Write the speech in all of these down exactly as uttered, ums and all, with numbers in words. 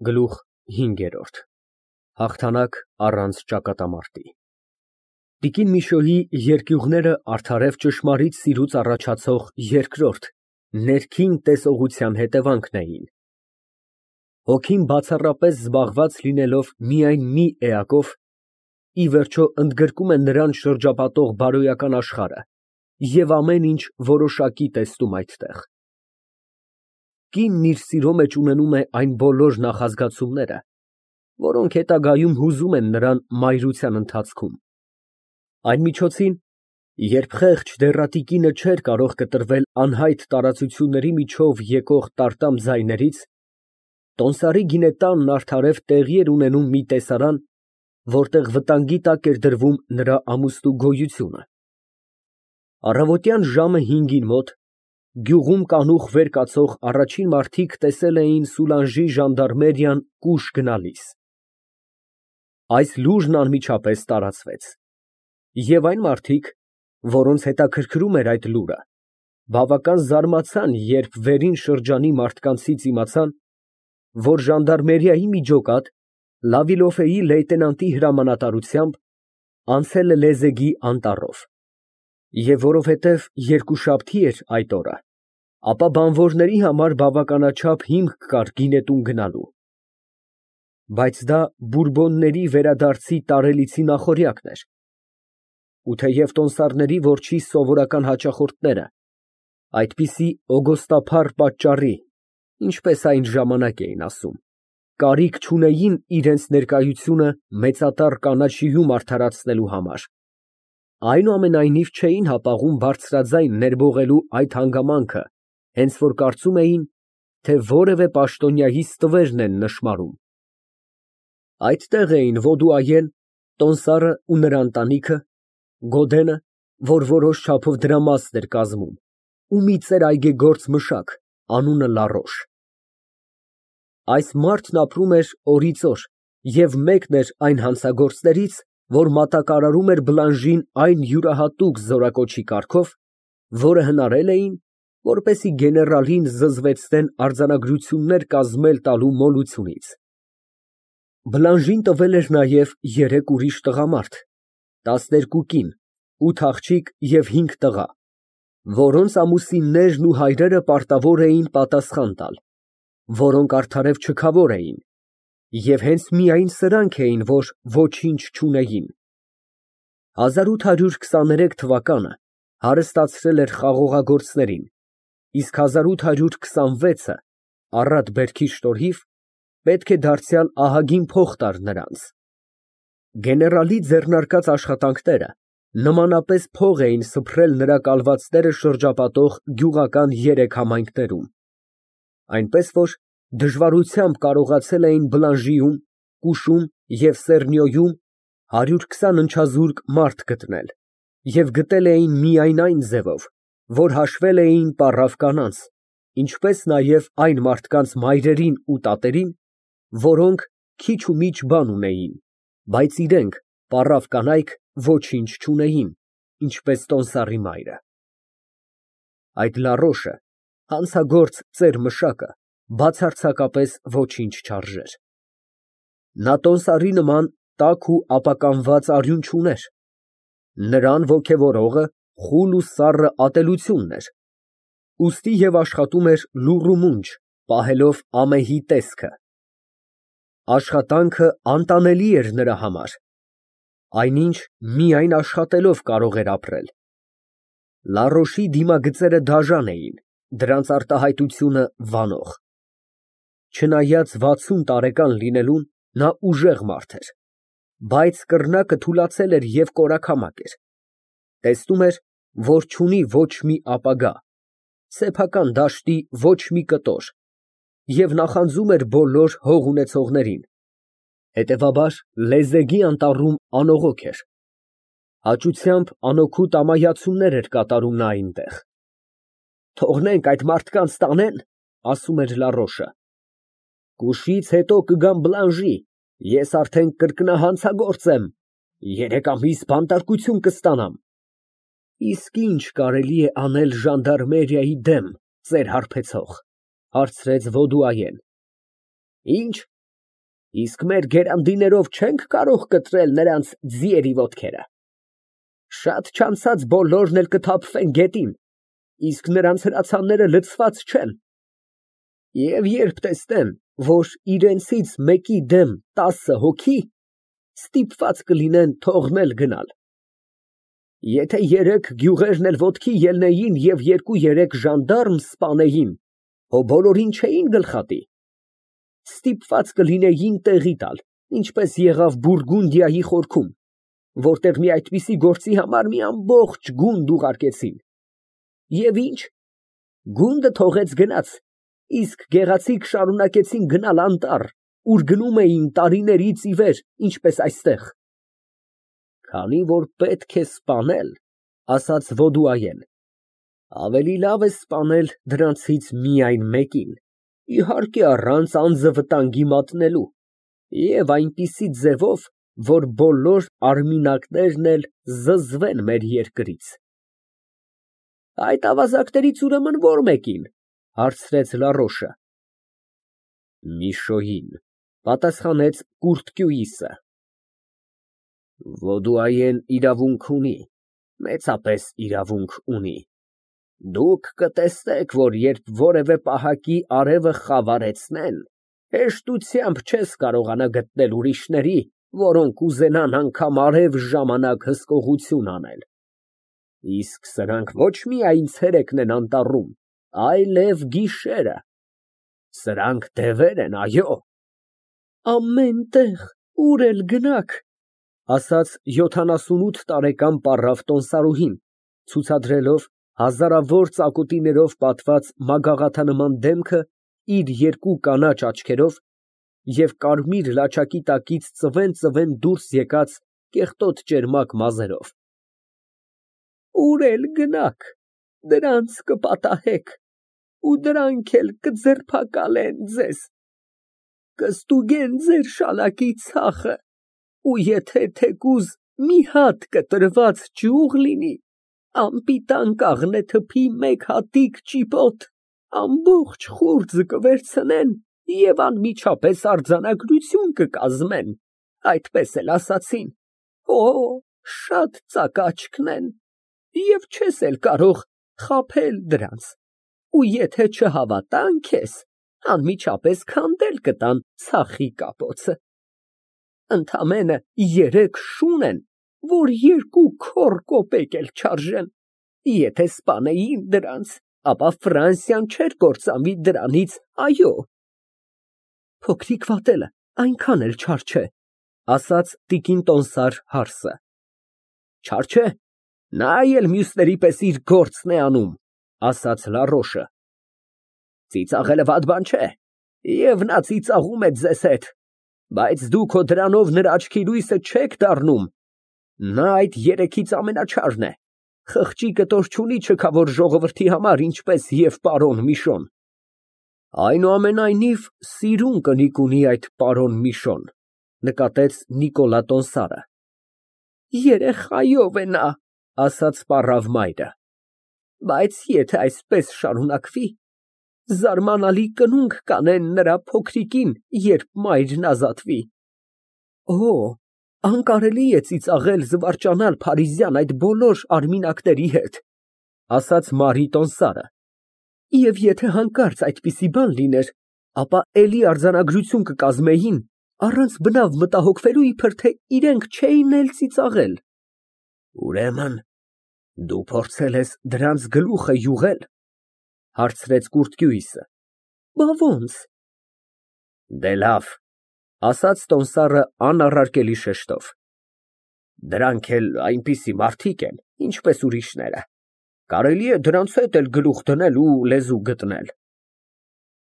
Գլուխ հինգերորդ Հաղթանակ առանց ճակատամարտի Տիկին Միշոյի երկյուղները արդարև ճշմարիտ սիրուց առաջացող երկրորդ, ներքին տեսողության հետևանքն էին։ Հոգին բացառապես զբաղված լինելով միայն մի էակով, ի վերջո ընդգրկում է նրան շրջապատող բարոյական աշխարհը և ամեն ինչ որոշակի տեսնում այդտեղ։ Կինն իր սիրո մեջ ունենում է այն բոլոր նախազգացումները, որոնք հետագայում հուզում են նրան մայրության ընթացքում։ Այն միջոցին, երբ խեղճ դեռատի կինը չէր կարող կտրվել անհայտ տարածությունների միջով եկող տարտամ ձայներից, տոնդսարի գինետանն արդարև տեղի էր ունենում մի տեսարան, որտեղ վտանգի տակ էր դրվում նրա ամուսնու գոյությունը։ Առավոտյան ժամը հինգին մոտ գյուղում կանուխ վեր կացող առաջին մարդիկ տեսել էին Սուլանժի ժանդարմերիան կուշ գնալիս։ Այս լուրն անմիջապես տարածվեց, և այն մարդիկ, որոնց հետաքրքրում էր այդ լուրը, բավական զարմացան, երբ վերին շրջանի մարդկանցից իմացան, որ ժանդարմերիայի միջոկատ Լավիլոֆեի լեյտենանտի հրամանատարությամբ անցել է Լեզեգի անտառով, և որովհետև երկուշաբթի էր այդ օրը, ապա բանվորների համար բավականաչափ հիմք կար գինետուն գնալու։ Բայց դա Բուրբոնների վերադարձի տարելիցի նախօրյակն էր, ու թեև տոնդսարների որջի սովորական հաճախորդները այդպիսի օգոստափառ պատճառի, ինչպես այն ժամանակ էին ասում, կարիք չունեին իրենց ներկայությունը մեծատառ կանաչիում արդարացնելու համար, այնուամենայնիվ չէին հապաղում բարձրաձայն ներբողելու այդ հանգամանքը, հենց որ կարծում էին, թե որևէ պաշտոնյայի ստվերն են նշմարում։ Այդտեղ էին Ոդուայեն, տոնդսարը ու նրա ընտանիքը, Գոդենը, որ որոշ չափով դրա մասն էր կազմում, ու մի ծեր այգեգործ մշակ, անունը Լարոշ։ Այս մարդն ապրում էր օրից օր և մեկն էր այն հանցագործներից, որ մատակարարում էր Բլանժին այն յուրահատուկ զորակոչի կարգով, որը հնարել էին, որպեսզի գեներալին զզվեցնեն արձանագրություններ կազմել տալու մոլությունից։ Բլանժին տվել էր նաև երեք ուրիշ տղամարդ, տասներկու կին, ութ աղջիկ և հինգ տղա, որոնց ամուսիններն ու հայրերը պարտավոր էին պատասխան տալ, որոնք արդարև չքավոր էին, և հենց միայն սրանք էին, որ ոչինչ չունեին։ հազար ութ հարյուր քսաներեք թվականը հարստացրել էր խաղողագործներին, իսկ հազար ութ հարյուր քսանվեցը առատ բերքի շնորհիվ պետք է դարձյալ ահագին փող տար նրանց։ Գեներալի ձեռնարկած աշխատանքները նմանապես փող էին սփռել նրա կալվածները շրջապատող գյուղական երեք համայնքներում, այնպես որ դժվարությամբ կարողացել էին Բլանժիում, Կուշում և Սեռնյոյում հարյուր քսան ընչազուրկ մարդ գտնել և գտել էին միայն այն ձևով, որ հաշվել էին պառավ կանանց, ինչպես նաև այն մարդկանց մայրերին ու տատերին, որոնք քիչ ու միչ բան ունեին, բայց իրենք, պառավ կանայք, ոչինչ չունեին, ինչպես տոնդսարի մայրը։ Այդ Լարոշը, հանցագործ ծեր մշակը, բացարձակապես ոչինչ չարժեր։ Նա տոնդսարի նման տաք ու ապականված արյուն չուներ, նրան ոգևորողը խուլ ու սառը ատելությունն էր, ուստի և աշխատում էր լուռ ու մունջ, պահելով ամեհի տեսքը։ Աշխատանքը անտանելի էր նրա համար, այնինչ միայն աշխատելով կարող էր ապրել։ Լարոշի դիմագծերը դաժան էին, դրանց արտահայտությունը վանող։ Չնայած վաթսուն տարեկան լինելուն, նա ուժեղ մարդ էր, բայց կռնակը թուլացել էր և կորակամակ էր, տեսնում էր, որ չունի ոչ մի ապագա, սեփական դաշտի ոչ մի կտոր և նախանձում էր բոլոր հող ունեցողներին, հետևաբար Լեզեգի անտառում անողոք էր, հաճությամբ անօգուտ ամայացումներ էր կատարում նա այնտեղ։ «Թողնենք այդ մարդկանց տանեն, ֊ ասում էր Լարոշը, ֊ կուշից հետո կգամ Բլանժի, ես արդեն կրկնահանցագործ եմ, երեք ամիս բանտարկություն կստանամ»։ Իսկ ի՞նչ կարելի է անել ժանդարմերիայի դեմ, ծեր հարբեցող, ֊ հարցրեց Ոդուայեն։ ֊ Ի՞նչ, Իսկ մեր գերանդիներով չենք կարող կտրել նրանց ձիերի ոտքերը։ Շատ չանցած բոլորն էլ կթափվեն գետին, իսկ նրանց հրացանները լցված չեն։ Եվ երբ տեսնեն, որ իրենցից մեկի դեմ տասը հոգի, ստիպված կլինեն թողնել գնալ։ Եթե երեք գյուղերն էլ ոտքի ելնեին և երկու֊երեք ժանդարմ սպանեին, հո բոլորին չէին գլխատի։ Ստիպված կլինեին տեղի տալ, ինչպես եղավ Բուրգունդիայի խորքում, որտեղ մի այդպիսի գործի համար մի ամբողջ գունդ ուղարկեցին։ Եվ ի՞նչ, գունդը թողեց գնաց, իսկ գեղեցիկ շարունակեցին գնալ անտառ, ուր գնում էին տարիներից ի վեր, ինչպես այստեղ։ Քանի որ պետք է սպանել, ասաց Ոդուայեն, ավելի լավ է սպանել դրանցից միայն մեկին, իհարկե առանց անձը վտանգի մատնելու, և այնպիսի ձևով, որ բոլոր արմինակներն էլ զզվեն մեր երկրից։ Այդ ավազակներից ուրեմն ո՞ր մեկին, հարցրեց Լարոշը։ Միշոյին, պատասխանեց կուրթկյուիսը։ Ոդուայեն իրավունք ունի, մեծապես իրավունք ունի։ Դուք կտեսնեք, որ երբ որևէ պահակի արևը խավարեցնեն, հեշտությամբ չես կարողանա գտնել ուրիշների, որոնք կուզենան անգամ արև ժամանակ հսկողություն անել։ Իսկ սրանք ոչ միայն ցերեկն են անտառում, այլև գիշերը։ Սրանք դևեր են, այո։ Ամեն տեղ, ուր էլ գնաք, ասաց յոթանասունութ տարեկան պառավ տոմսարուհին, ցուցադրելով հազարավոր ծակոտիներով պատված մագաղաթանման դեմքը իր երկու կանաչ աչքերով և կարմիր լաչակի տակից ծվեն֊ծվեն դուրս եկած կեղտոտ ճերմակ մազերով։ Ուր էլ գնաք, դրանց կպատահեք, ու դրանք էլ կձերբակալեն ձեզ, կստուգեն ձեր շալակի ցախը, ու եթե թեկուզ մի հատ կտրված ճյուղ լինի, անպիտան կաղնե թփի մեկ հատիկ ճիպոտ, ամբողջ խուრძը կվերցնեն և անմիջապես արձանագրություն կկազմեն, այդպես էլ ասացին, օ, շատ ծակաչկն են, և չես էլ կարող խաբել դրանց, ու եթե չհավատան քեզ, անմիջապես քանդել կտան ցախի կապոցը։ Ընդամենը երեք շուն են, որ երկու քոռ կոպեկ էլ չարժեն, եթե սպանեին դրանց, ապա Ֆրանսիան չէր կործանվի դրանից, այո։ Փոքրիկ վատելը այնքան էլ չար չէ, ասաց տիկին տոմսար հարսը։ Չար չէ, նա էլ մյուսների պես իր գործն է անում, ասաց Լարոշը։ Ծիծաղելը վատ բան չէ, և նա ծիծաղում է ձեզ հետ, բայց դուք հո դրանով նրա աչքի լույսը չեք դառնում, նա այդ երեքից ամենաչարն է, խղճի կտոր չունի չքավոր ժողովրդի համար, ինչպես և պարոն Միշոն։ Այնուամենայնիվ, սիրուն կնիկ ունի այդ պարոն Միշոն, նկատեց Նիկոլա տոմսարը։ Երեխայով է նա, ասաց պառավ մայրը, բայց եթե այսպես շարունակվի, զարմանալի կնունք կանեն նրա փոքրիկին, երբ մայրն ազատվի։ Օ, անկարելի է ծիծաղել, զվարճանալ փարիզյան այդ բոլոր արմինակների հետ, ասաց Մարի տոմսարը, և եթե հանկարծ այդպիսի բան լիներ, ապա էլի արձանագրություն կկազմեին, առանց բնավ մտահոգվելու, իբր թե իրենք չէին էլ ծիծաղել։ Ուրեմն դու փորձել ես դրանց գլուխը յուղել, հարցրեց կուրթկյուիսը։ Բա ո՞նց։ Դե լավ, ասաց տոմսարը անառարկելի շեշտով, դրանք էլ այնպիսի մարդիկ են, ինչպես ուրիշները, կարելի է դրանց հետ էլ գլուխ դնել ու լեզու գտնել։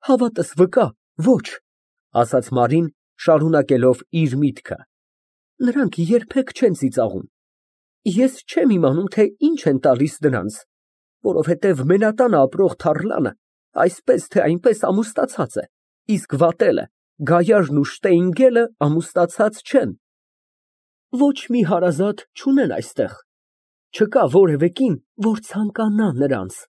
Հավատս վկա, ոչ, ասաց Մարին, շարունակելով իր միտքը, նրանք երբեք չեն ծիծաղում, ես չեմ իմանում, թե ինչ են տալիս դրանց, որովհետև մենատանը ապրող թառլանը այսպես թե այնպես ամուսնացած է, իսկ վատելը, գայարն ու շտեյնգելը ամուսնացած չեն։ Ոչ մի հարազատ չունեն այստեղ, չկա որևէ կին, որ ցանկանա նրանց։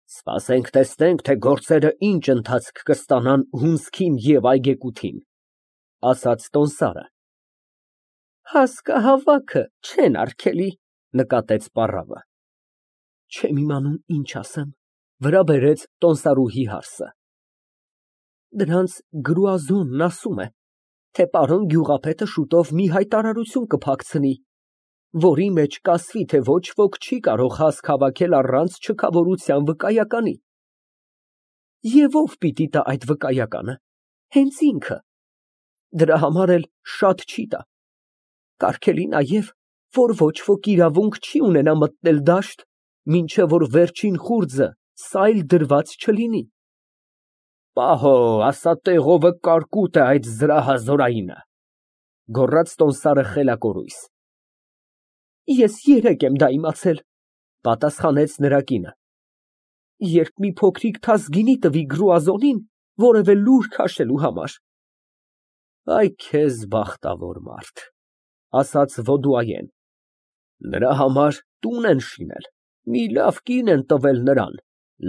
Սպասենք տեսնենք, թե գործերը ինչ ընթացք կստանան հունձքին և այգեկութին։ ասաց տոմսարը։ Հասկահավաքը չեն արգելի, նկատեց պառավը։ Չեմ իմանում ինչ ասեմ, վրա բերեց տոմսարուհի հարսը։ Դրանց գրուազոնն ասում է, թե պարոն գյուղապետը շուտով մի հայտարարություն կփակցնի, որի մեջ կասվի, թե ոչ ոք չի կարող հասկ հավաքել առանց չքավորության վկայականի։ Եվ ով պիտի տա այդ վկայականը, հենց ինքը, դրա համար էլ շատ չի տա, կարգելի նաև, որ ոչ ոք իրավունք չի ունենա մտնել դաշտ, մինչև որ վերջին խուրձը սայլ դրված չլինի։ Պահո, ասա տեղովը կարկուտ է այդ զրահազորայինը, գոռաց տոմսարը խելակորույս։ Ես երեկ եմ դա իմացել, պատասխանեց նրա կինը, երբ մի փոքրիկ թաս գինի տվի գրուազոնին, որևէ լուր քաշելու համար։ Այ քեզ բախտավոր մարդ, ասաց Ոդուայեն, նրա համար տուն են շինել, մի լավ կին են տվել նրան,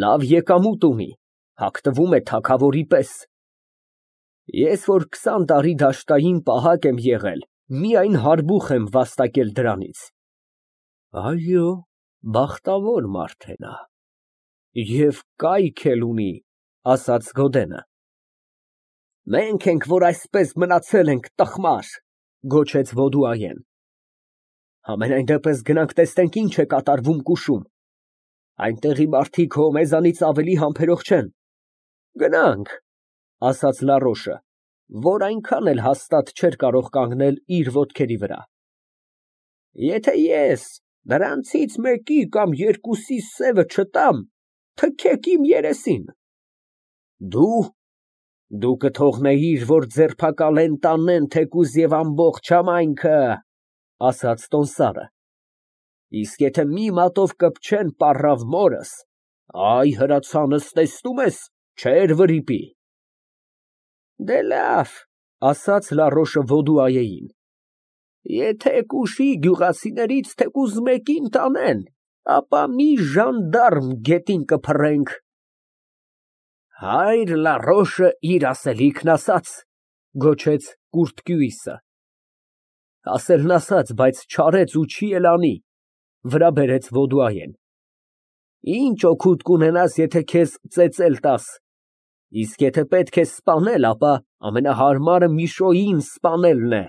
լավ եկամուտ ունի, հագնվում է թագավորի պես։ Ես որ քսան տարի դաշտային պահակ եմ եղել, միայն հարբուխ եմ վաստակել դրանից։ Այո, բախտավոր մարդ է նա։ Եվ կայք էլ ունի, ասաց Գոդենը։ Մենք ենք, որ այսպես մնացել ենք տխմար, գոչեց Ոդուայեն։ Համենայն դեպս գնանք տեսնենք ինչ է կատարվում Կուշում։ Այնտեղի մարդիկ հո մեզանից ավելի համբերող չեն։ Գնանք, ասաց Լարոշը, որ այնքան էլ հաստատ չէր կարող կանգնել իր ոտքերի վրա։ Եթե ես նրանցից մեկի կամ երկուսի սևը չտամ, թքեք իմ երեսին։ Դու, դու կթողնեիր, որ ձերբակալեն տանեն թեկուզ և ամբողջ համայնքը, ասաց տոմսարը։ Իսկ եթե մի մատով կպչեն պառավ մորս, այ հրացանս տեսնում ես, չեր վրիպի։ Դե լավ, ասաց Լարոշը Ոդուայեին, եթե Կուշի գյուղացիներից թեկուզ մեկին տանեն, ապա մի ժանդարմ գետին կփռենք։ Հայր Լարոշը իր ասելիքն ասաց, գոչեց Կուրտկյուիսը։ Ասելն ասաց, բայց չարեց ու չի էլ անի, վրա բերեց Ոդուայեն։ Ինչ օգուտ կունենաս, եթե քեզ ծեծել տաս, իսկ եթե պետք է սպանել, ապա ամենահարմարը Միշոյին սպանելն է։